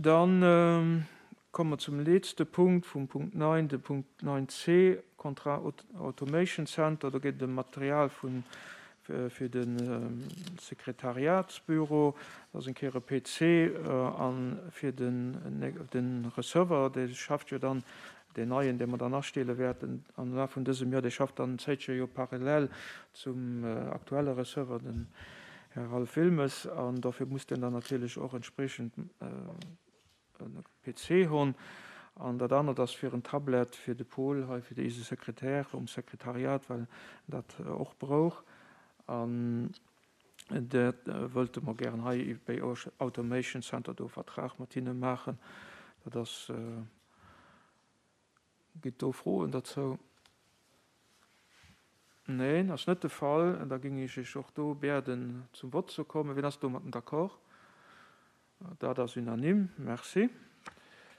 Dann komme mer zum letzte Punkt vum Punkt 9, de Punkt 9c, Contrat Automation Center. Do geet et ëm Material vun, fir de Sekretariatsbüro. Dat ass eng Kéier e PC a fir den Receveur, dee schafft jo dann, deen neien, dee mer dann astelle wäerten am Laf vun dësem Joer, dee schafft dann zäitche jo parallel zum aktuelle Receveur, den Här Ralph Wilmes, an dofir muss deen dann natierlech och entspriechend e PC hunn. An dat anert ass fir en Tablet fir de Paul hei, fir eise Sekretär um Sekretariat, well en dat och brouch. An dat wëllte mer gären hei bei Automation Center do e Vertrag mat hinne maachen. Dat ass. Gitt do Froen derzou? Neen, ass net de Fall. Da géing ech Iech och do biäden, zum Vott ze kommen. Wien ass domatten d'accord? Dat ass unanime. Merci.